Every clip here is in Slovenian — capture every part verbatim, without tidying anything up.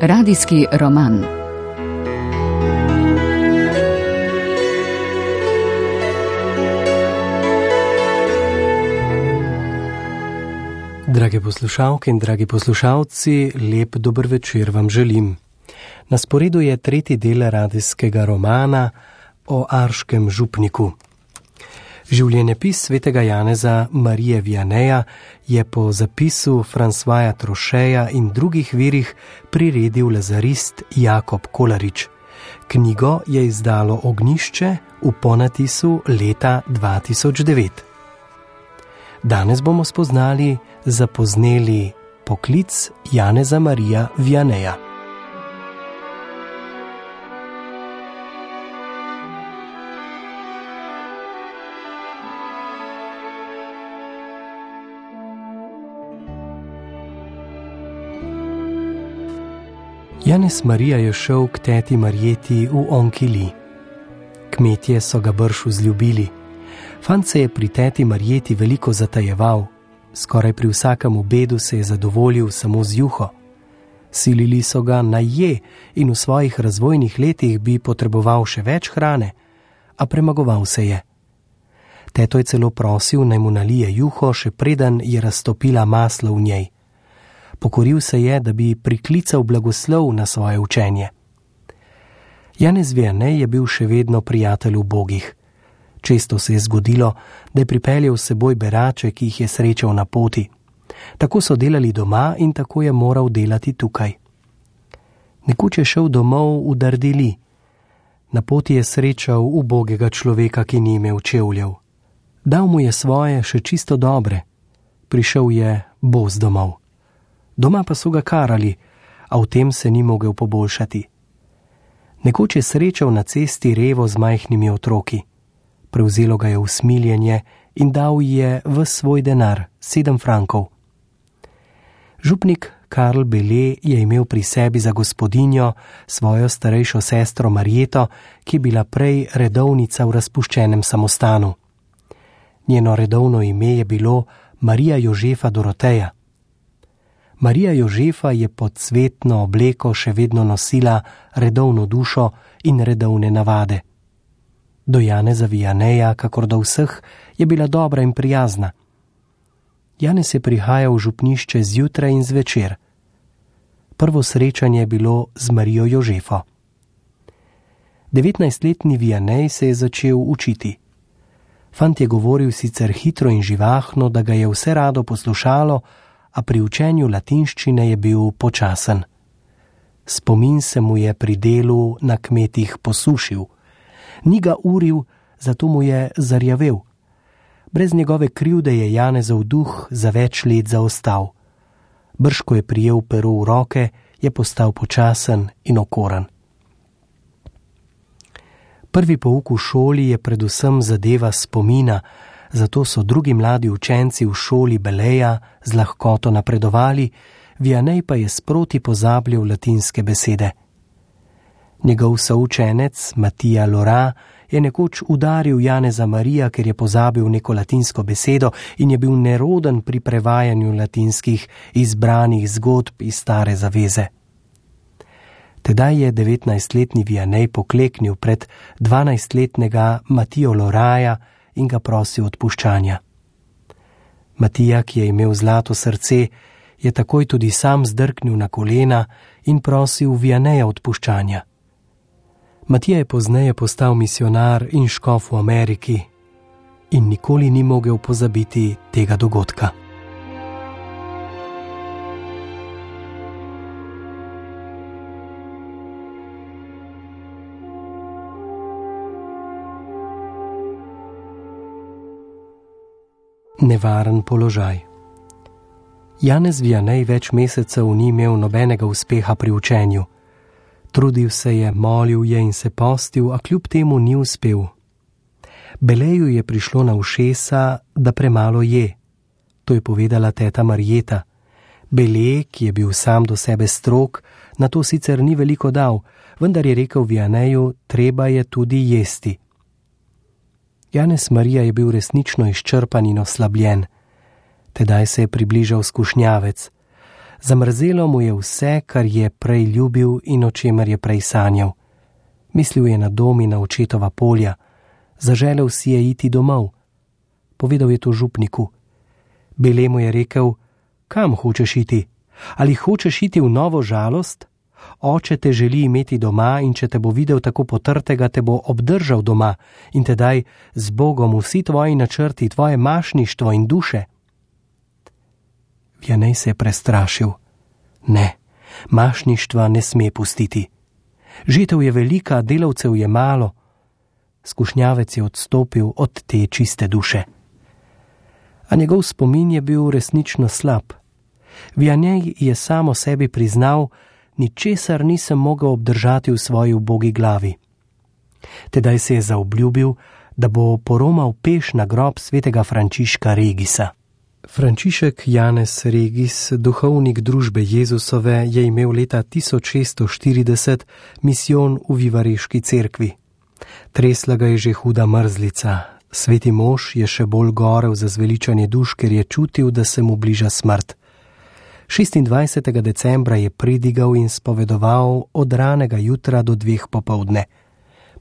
Radijski roman. Drage poslušalke in dragi poslušalci, lep dober večer vam želim. Na sporedu je tretji del radijskega romana o Arškem župniku. Življenjepis svetega Janeza Marije Vianeja je po zapisu Françoisa Trocheja in drugih virih priredil lazarist Jakob Kolarič. Knjigo je izdalo Ognjišče v ponatisu leta dva tisoč devet. Danes bomo spoznali zapozneli poklic Janeza Marija Vianeja. Janez Marija je šel k teti Marjeti v Onkili. Kmetje so ga brž vzljubili. Fant se je pri teti Marjeti veliko zatajeval. Skoraj pri vsakem obedu se je zadovoljil samo z juho. Silili so ga naj je in v svojih razvojnih letih bi potreboval še več hrane, a premagoval se je. Teto je celo prosil, naj mu nalije juho, še preden je raztopila maslo v njej. Pokoril se je, da bi priklical blagoslov na svoje učenje. Janez Vianej je bil še vedno prijatelj ubogih. Često se je zgodilo, da je pripeljal s seboj berače, ki jih je srečal na poti. Tako so delali doma in tako je moral delati tukaj. Nekoč je šel domov v Dardili. Na poti je srečal ubogega človeka, ki ni imel čevljev. Dal mu je svoje še čisto dobre. Prišel je bos domov. Doma pa so ga karali, a v tem se ni mogel poboljšati. Nekoč je srečal na cesti revo z majhnimi otroki. Prevzelo ga je usmiljenje in dal je ves svoj denar, sedem frankov. Župnik Karl Bele je imel pri sebi za gospodinjo svojo starejšo sestro Marjeto, ki je bila prej redovnica v razpuščenem samostanu. Njeno redovno ime je bilo Marija Jožefa Doroteja. Marija Jožefa je pod cvetno obleko še vedno nosila redovno dušo in redovne navade. Do Janeza Vianeja, kakor do vseh, je bila dobra in prijazna. Janez je prihajal v župnišče zjutraj in zvečer. Prvo srečanje je bilo z Marijo Jožefo. devetnajstletni Vianej se je začel učiti. Fant je govoril sicer hitro in živahno, da ga je vse rado poslušalo, a pri učenju latinščine je bil počasen. Spomin se mu je pri delu na kmetih posušil. Ni ga uril, zato mu je zarjavel. Brez njegove krivde je Janezov duh za več let zaostal. Brž ko je prijel pero v roke, je postal počasen in okoren. Prvi pouk v šoli je predvsem zadeva spomina, zato so drugi mladi učenci v šoli Beleja z lahkoto napredovali, Vianej pa je sproti pozabljal latinske besede. Njegov součenec, Matija Lora, je nekoč udaril Janeza Marija, ker je pozabil neko latinsko besedo in je bil neroden pri prevajanju latinskih izbranih zgodb iz Stare zaveze. Tedaj je devetnajstletni Vianej pokleknil pred dvanajstletnega Matijo Loraja in ga prosil odpuščanja. Matija, ki je imel zlato srce, je takoj tudi sam zdrknil na kolena in prosil Vianeja odpuščanja. Matija je pozneje postal misionar in škof v Ameriki in nikoli ni mogel pozabiti tega dogodka. Nevaren položaj. Janez Vianej več mesecev ni imel nobenega uspeha pri učenju. Trudil se je, molil je in se postil, a kljub temu ni uspel. Beleju je prišlo na ušesa, da premalo je. To je povedala teta Marjeta. Bele, ki je bil sam do sebe strog, na to sicer ni veliko dal, vendar je rekel Vianeju, treba je tudi jesti. Janez Marija je bil resnično izčrpan in oslabljen. Tedaj se je približal skušnjavec. Zamrzelo mu je vse, kar je prej ljubil in o čemer je prej sanjal. Mislil je na dom in na očetova polja. Zaželel si je iti domov. Povedal je to župniku. Bele mu je rekel: kam hočeš iti? Ali hočeš iti v novo žalost? Oče te želi imeti doma in če te bo videl tako potrtega, te bo obdržal doma in tedaj z Bogom vsi tvoji načrti, tvoje mašništvo in duše. Vianej se je prestrašil. Ne, mašništva ne sme pustiti. Žetev je velika, delavcev je malo. Skušnjavec je odstopil od te čiste duše. A njegov spomin je bil resnično slab. Vianej je samo sebi priznal: ničesar nisem mogel obdržati v svoji ubogi glavi. Tedaj se je zaobljubil, da bo poromal peš na grob svetega Frančiška Regisa. Frančišek Janez Regis, duhovnik družbe Jezusove, je imel leta tisoč šeststo štirideset misijon v Vivareški cerkvi. Tresla ga je že huda mrzlica. Sveti mož je še bolj gorel za zveličanje duš, ker je čutil, da se mu bliža smrt. šestindvajsetega decembra je predigal in spovedoval od ranega jutra do dveh popoldne.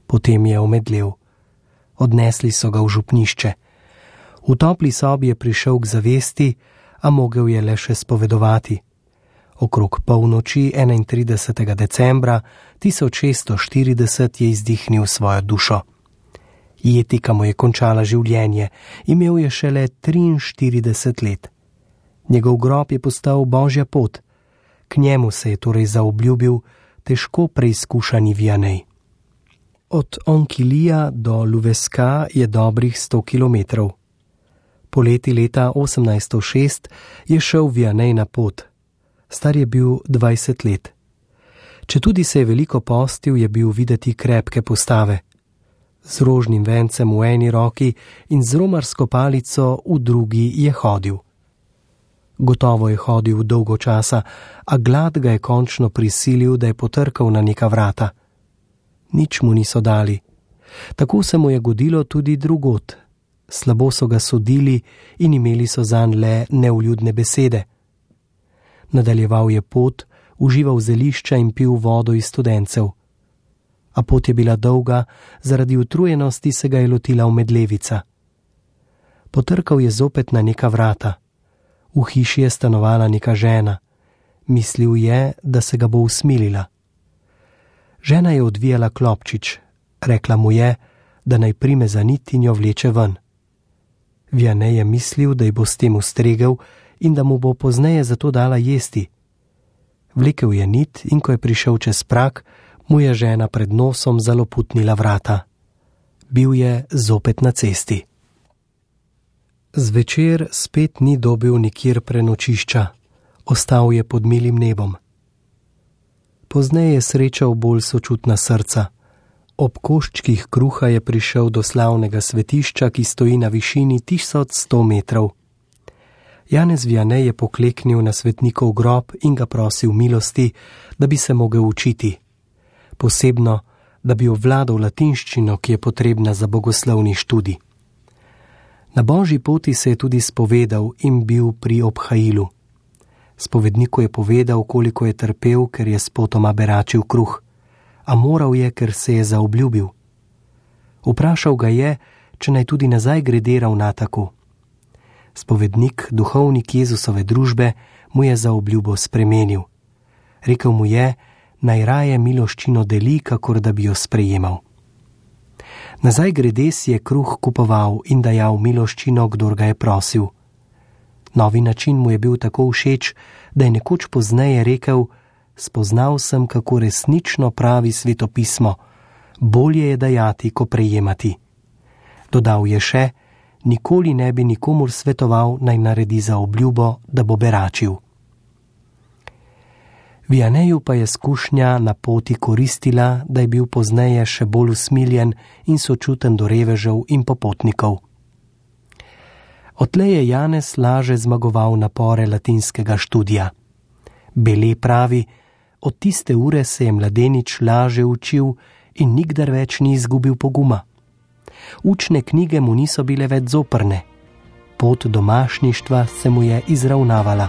Potem je omedlel. Odnesli so ga v župnišče. V topli sobi je prišel k zavesti, a mogel je le še spovedovati. Okrog polnoči enaintridesetega decembra tisoč šeststo štirideset je izdihnil svojo dušo. Jetika mu je končala življenje, imel je šele triinštirideset let. Njegov grob je postal Božja pot. K njemu se je torej zaobljubil težko preizkušani Vianej. Od Onkilija do Louveska je dobrih sto kilometrov. Poleti leta osemnajststo šest je šel Vianej na pot. Star je bil dvajset let. Četudi se je veliko postil, je bil videti krepke postave. Z rožnim vencem v eni roki in z romarsko palico v drugi je hodil. Gotovo je hodil dolgo časa, a glad ga je končno prisilil, da je potrkal na neka vrata. Nič mu niso dali. Tako se mu je godilo tudi drugod. Slabo so ga sodili in imeli so zanj le nevljudne besede. Nadaljeval je pot, užival zelišča in pil vodo iz studencev. A pot je bila dolga, zaradi utrujenosti se ga je lotila omedlevica. Potrkal je zopet na neka vrata. V hiši je stanovala neka žena. Mislil je, da se ga bo usmilila. Žena je odvijala klopčič. Rekla mu je, da naj prime za nit in jo vleče ven. Vianej je mislil, da ji bo s tem ustregel in da mu bo pozneje zato dala jesti. Vlekel je nit in ko je prišel čez prag, mu je žena pred nosom zaloputnila vrata. Bil je zopet na cesti. Zvečer spet ni dobil nikjer prenočišča. Ostal je pod milim nebom. Pozneje je srečal bolj sočutna srca. Ob koščkih kruha je prišel do slavnega svetišča, ki stoji na višini tisoč sto metrov. Janez Vianej je pokleknil na svetnikov grob in ga prosil milosti, da bi se mogel učiti. Posebno, da bi obvladal latinščino, ki je potrebna za bogoslovni študij. Na božji poti se je tudi spovedal in bil pri obhajilu. Spovedniku je povedal, koliko je trpel, ker je spotoma beračil kruh, a moral je, ker se je zaobljubil. Vprašal ga je, če naj tudi nazaj grede ravna tako. Spovednik, duhovnik Jezusove družbe, mu je zaobljubo spremenil. Rekel mu je, naj raje miloščino deli, kakor da bi jo sprejemal. Nazaj grede si je kruh kupoval in dajal miloščino, kdor ga je prosil. Novi način mu je bil tako všeč, da je nekoč pozneje rekel, spoznal sem, kako resnično pravi svetopismo, bolje je dajati, ko prejemati. Dodal je še, nikoli ne bi nikomur svetoval, naj naredi zaobljubo, da bo beračil. Vianeju pa je skušnja na poti koristila, da je bil pozneje še bolj usmiljen in sočuten do revežev in popotnikov. Odtlej je Janez laže zmagoval napore latinskega študija. Bele pravi, od tiste ure se je mladenič laže učil in nikdar več ni izgubil poguma. Učne knjige mu niso bile več zoprne. Pot domašništva se mu je izravnavala.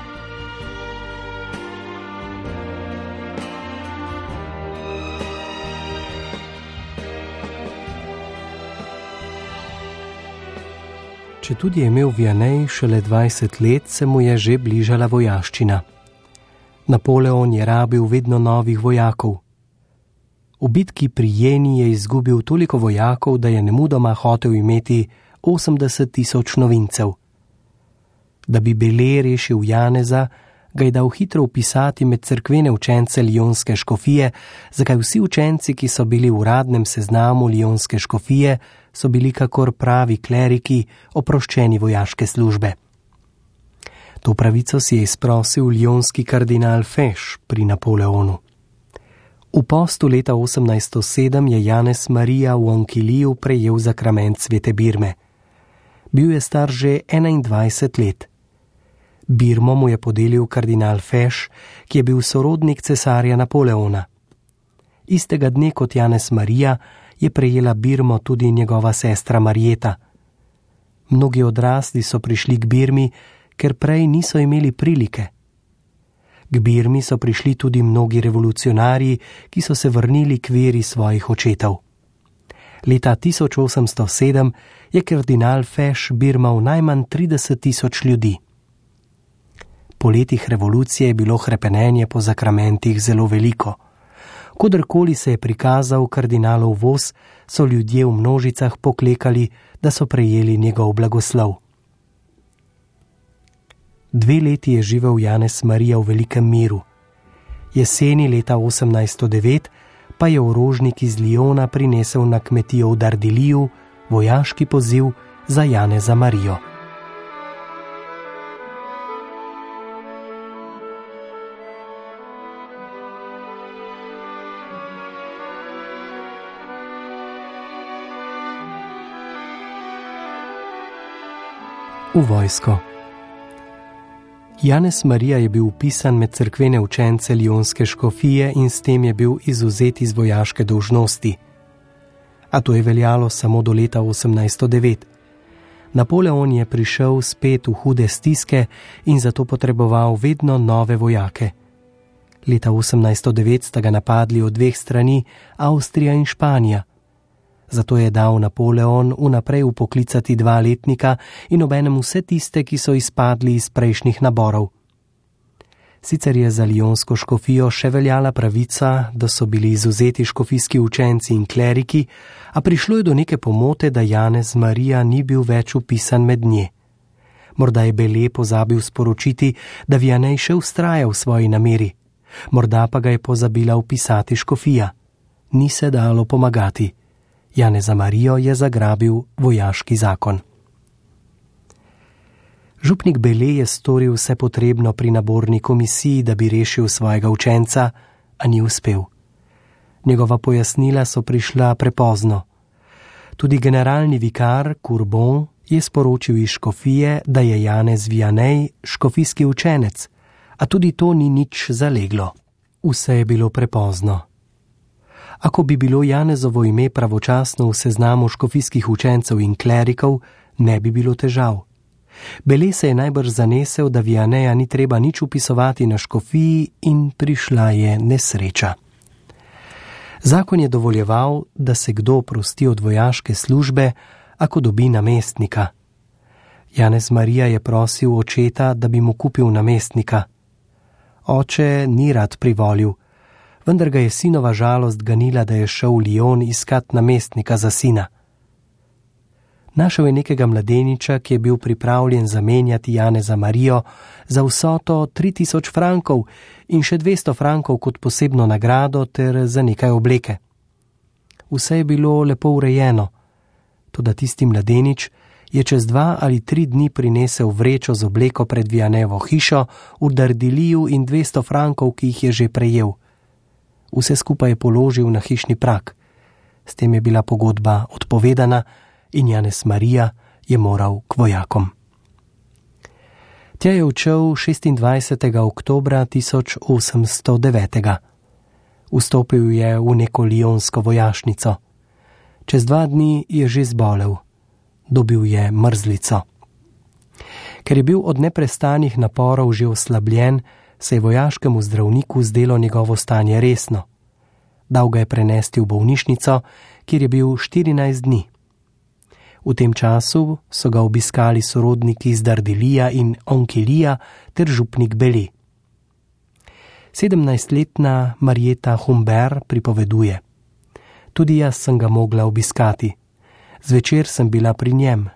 Četudi je imel Vianney šele dvajset let, se mu je že bližala vojaščina. Napoleon je rabil vedno novih vojakov. V bitki pri Jeni je izgubil toliko vojakov, da je nemudoma hotel imeti osemdeset tisoč novincev. Da bi Bele rešil Janeza, ga je dal hitro vpisati med cerkvene učence Lionske škofije, zakaj vsi učenci, ki so bili v uradnem seznamu Lionske škofije, so bili kakor pravi kleriki, oproščeni vojaške službe. To pravico si je izprosil lionski kardinal Fesch pri Napoleonu. V postu leta osemnajsto sedem je Janez Marija v Onkiliju prejel zakrament svete Birme. Bil je star že enaindvajset let. Birmo mu je podelil kardinal Fesch, ki je bil sorodnik cesarja Napoleona. Istega dne kot Janez Marija je prejela Birmo tudi njegova sestra Marjeta. Mnogi odrasli so prišli k Birmi, ker prej niso imeli prilike. K Birmi so prišli tudi mnogi revolucionarji, ki so se vrnili k veri svojih očetov. Leta tisoč osemsto sedem je kardinal Fesch birmal najmanj trideset tisoč ljudi. Po letih revolucije je bilo hrepenenje po zakramentih zelo veliko. Kodarkoli se je prikazal kardinalov voz, so ljudje v množicah poklekali, da so prejeli njegov blagoslov. Dve leti je živel Janez Marija v velikem miru. Jeseni leta osemnajsto devet pa je orožnik iz Liona prinesel na kmetijo v Dardiliju vojaški poziv za Janeza Marijo. V vojsko. Janez Marija je bil vpisan med cerkvene učence Lionske škofije in s tem je bil izvzet iz vojaške dolžnosti. A to je veljalo samo do leta osemnajsto devet. Napoleon je prišel spet v hude stiske in zato potreboval vedno nove vojake. Leta osemnajsto devet sta ga napadli od dveh strani, Avstrija in Španija. Zato je dal Napoleon vnaprej upoklicati dva letnika in obenem vse tiste, ki so izpadli iz prejšnjih naborov. Sicer je za Lionsko škofijo še veljala pravica, da so bili izvzeti škofijski učenci in kleriki, a prišlo je do neke pomote, da Janez Marija ni bil več vpisan med nje. Morda je Bele pozabil sporočiti, da Vianney še vztraja v svoji nameri. Morda pa ga je pozabila vpisati škofija. Ni se dalo pomagati. Janeza Marijo je zagrabil vojaški zakon. Župnik Bele je storil vse potrebno pri naborni komisiji, da bi rešil svojega učenca, a ni uspel. Njegova pojasnila so prišla prepozno. Tudi generalni vikar Courbon je sporočil iz škofije, da je Janez Vianney škofijski učenec, a tudi to ni nič zaleglo. Vse je bilo prepozno. Ako bi bilo Janezovo ime pravočasno v seznamu škofijskih učencev in klerikov, ne bi bilo težav. Bele se je najbrž zanesel, da Vianneja ni treba nič upisovati na škofiji in prišla je nesreča. Zakon je dovoljeval, da se kdo prosti od vojaške službe, ako dobi namestnika. Janez Marija je prosil očeta, da bi mu kupil namestnika. Oče ni rad privolil, vendar ga je sinova žalost ganila, da je šel v Lion iskat namestnika za sina. Našel je nekega mladeniča, ki je bil pripravljen zamenjati Janeza Marijo za vsoto tri tisoč frankov in še dvesto frankov kot posebno nagrado ter za nekaj obleke. Vse je bilo lepo urejeno, toda tisti mladenič je čez dva ali tri dni prinesel vrečo z obleko pred Viannejevo hišo v Dardiliju in dvesto frankov, ki jih je že prejel. Vse skupaj je položil na hišni prak. S tem je bila pogodba odpovedana in Janez Marija je moral k vojakom. Tja je odšel šestindvajsetega oktobra tisoč osemsto devet. Vstopil je v neko lionsko vojašnico. Čez dva dni je že zbolel. Dobil je mrzlico. Ker je bil od neprestanih naporov že oslabljen, se je vojaškemu zdravniku zdelo njegovo stanje resno. Dal ga je prenesti v bolnišnico, kjer je bil štirinajst dni. V tem času so ga obiskali sorodniki iz Dardilija in Onkilija ter župnik Beli. Sedemnajstletna Marieta Humbert pripoveduje: Tudi jaz sem ga mogla obiskati. Zvečer sem bila pri njem,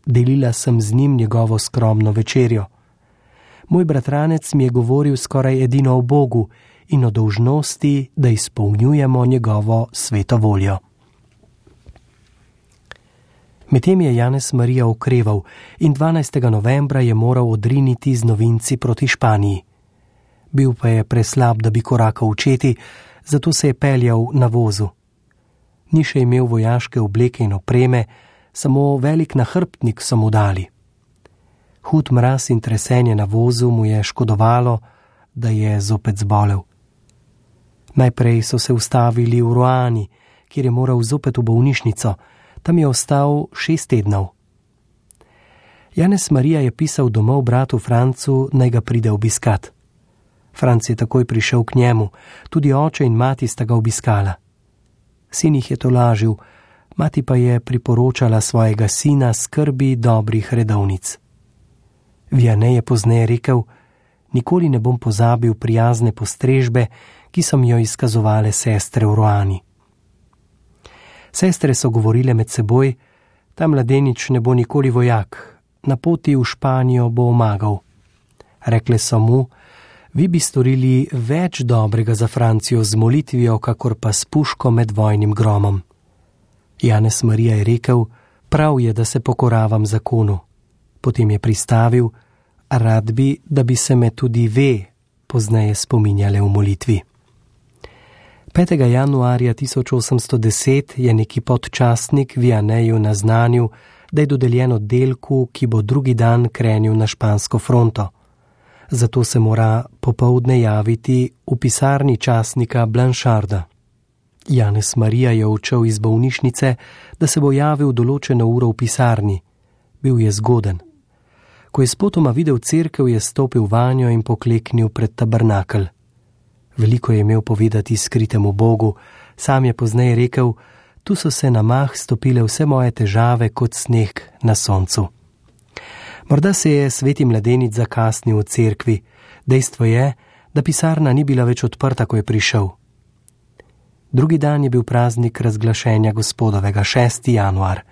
delila sem z njim njegovo skromno večerjo. Moj bratranec mi je govoril skoraj edino o Bogu in o dolžnosti, da izpolnjujemo njegovo sveto voljo. Medtem je Janez Marija okreval in dvanajstega novembra je moral odriniti z novinci proti Španiji. Bil pa je preslab, da bi korakal v četi, zato se je peljal na vozu. Ni še imel vojaške obleke in opreme, samo velik nahrbtnik so mu dali. Hud mraz in tresenje na vozu mu je škodovalo, da je zopet zbolel. Najprej so se ustavili v Roani, kjer je moral zopet v bolnišnico. Tam je ostal šest tednov. Janez Marija je pisal domov bratu Francu, naj ga pride obiskat. Franc je takoj prišel k njemu, tudi oče in mati sta ga obiskala. Sin jih je tolažil, mati pa je priporočala svojega sina skrbi dobrih redovnic. Vianney je pozneje rekel: Nikoli ne bom pozabil prijazne postrežbe, ki so mi jo izkazovale sestre v Roani. Sestre so govorile med seboj: Ta mladenič ne bo nikoli vojak, na poti v Španijo bo omagal. Rekle so mu: Vi bi storili več dobrega za Francijo z molitvijo, kakor pa s puško med vojnim gromom. Janez Marija je rekel: Prav je, da se pokoravam zakonu. Potem je pristavil: Rad bi, da bi se me tudi ve pozneje spominjale v molitvi. petega januarja tisoč osemsto deset je neki podčastnik Vianneyju naznanil, da je dodeljen oddelku, ki bo drugi dan krenil na špansko fronto. Zato se mora popoldne javiti v pisarni časnika Blancharda. Janez Marija je odšel iz bolnišnice, da se bo javil določeno uro v pisarni. Bil je zgoden. Ko je spotoma videl cerkev, je stopil vanjo in pokleknil pred tabernakelj. Veliko je imel povedati skritemu Bogu, sam je pozneje rekel: Tu so se na mah stopile vse moje težave kot sneg na soncu. Morda se je sveti mladenič zakasnil v cerkvi, dejstvo je, da pisarna ni bila več odprta, ko je prišel. Drugi dan je bil praznik razglašenja Gospodovega, šesti januar.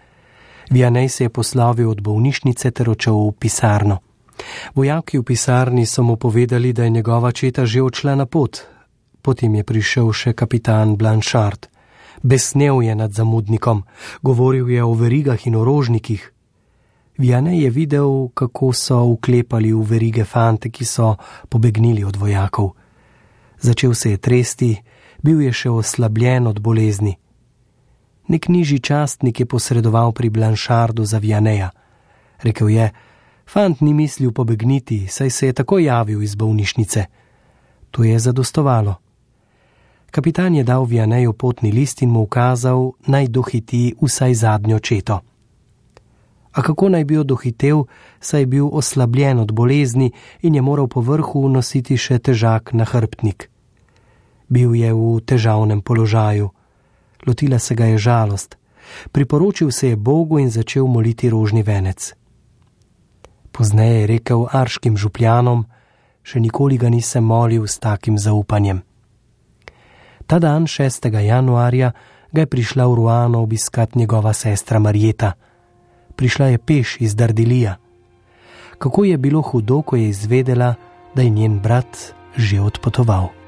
Vianney se je poslovil od bolnišnice ter odšel v pisarno. Vojaki v pisarni so mu povedali, da je njegova četa že odšla na pot. Potem je prišel še kapitan Blanchard. Besnel je nad zamudnikom, govoril je o verigah in orožnikih. Vianney je videl, kako so vklepali v verige fante, ki so pobegnili od vojakov. Začel se je tresti, bil je še oslabljen od bolezni. Nek nižji častnik je posredoval pri Blanchardu za Vianneyja. Rekel je: Fant ni mislil pobegniti, saj se je tako javil iz bolnišnice. To je zadostovalo. Kapitan je dal Vianneyju potni list in mu ukazal, naj dohiti vsaj zadnjo četo. A kako naj bi jo dohitel, saj je bil oslabljen od bolezni in je moral po vrhu nositi še težak nahrbtnik. Bil je v težavnem položaju. Lotila se ga je žalost. Priporočil se je Bogu in začel moliti rožni venec. Pozneje je rekel arškim župljanom: Še nikoli ga nisem molil s takim zaupanjem. Ta dan, šestega januarja, ga je prišla v Roano obiskat njegova sestra Marieta. Prišla je peš iz Dardilija. Kako je bilo hudo, ko je izvedela, da je njen brat že odpotoval.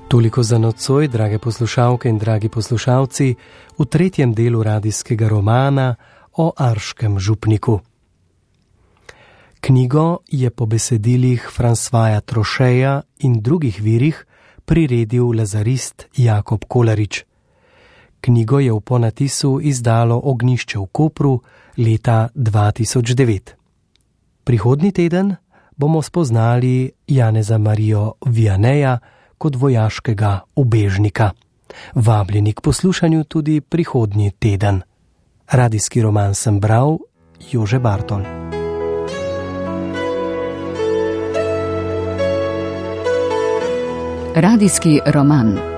Toliko za nocoj, drage poslušalke in dragi poslušalci, v tretjem delu radijskega romana o arškem župniku. Knjigo je po besedilih Françoisa Trocheja in drugih virih priredil lazarist Jakob Kolarič. Knjigo je v ponatisu izdalo Ognjišče v Kopru leta dva tisoč devet. Prihodnji teden bomo spoznali Janeza Marijo Vianneyja kot vojaškega ubežnika. Vabljeni k poslušanju tudi prihodnji teden. Radijski roman sem bral Jože Bartol. Radijski roman.